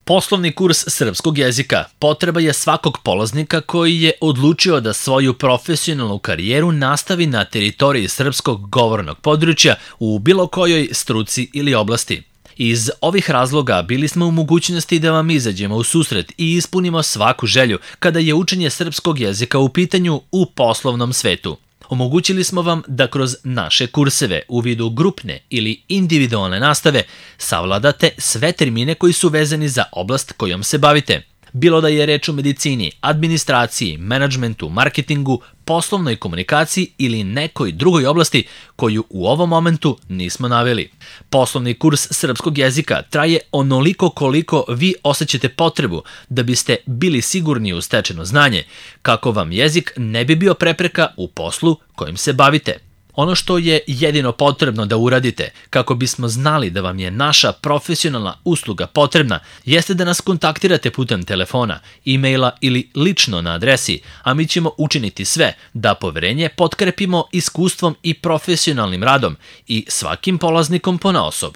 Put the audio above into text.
Poslovni kurs srpskog jezika potreba je svakog polaznika koji je odlučio da svoju profesionalnu karijeru nastavi na teritoriji srpskog govornog područja u bilo kojoj struci ili oblasti. Iz ovih razloga bili smo u mogućnosti da vam izađemo u susret i ispunimo svaku želju kada je učenje srpskog jezika u pitanju u poslovnom svetu. Omogućili smo vam da kroz naše kurseve u vidu grupne ili individualne nastave savladate sve termine koji su vezani za oblast kojom se bavite. Bilo da je reč o medicini, administraciji, menadžmentu, marketingu, poslovnoj komunikaciji ili nekoj drugoj oblasti koju u ovom momentu nismo naveli. Poslovni kurs srpskog jezika traje onoliko koliko vi osjećate potrebu da biste bili sigurni u stečeno znanje, kako vam jezik ne bi bio prepreka u poslu kojim se bavite. Ono što je jedino potrebno da uradite kako bismo znali da vam je naša profesionalna usluga potrebna jeste da nas kontaktirate putem telefona, e-maila ili lično na adresi, a mi ćemo učiniti sve da poverenje potkrepimo iskustvom i profesionalnim radom i svakim polaznikom ponaosob.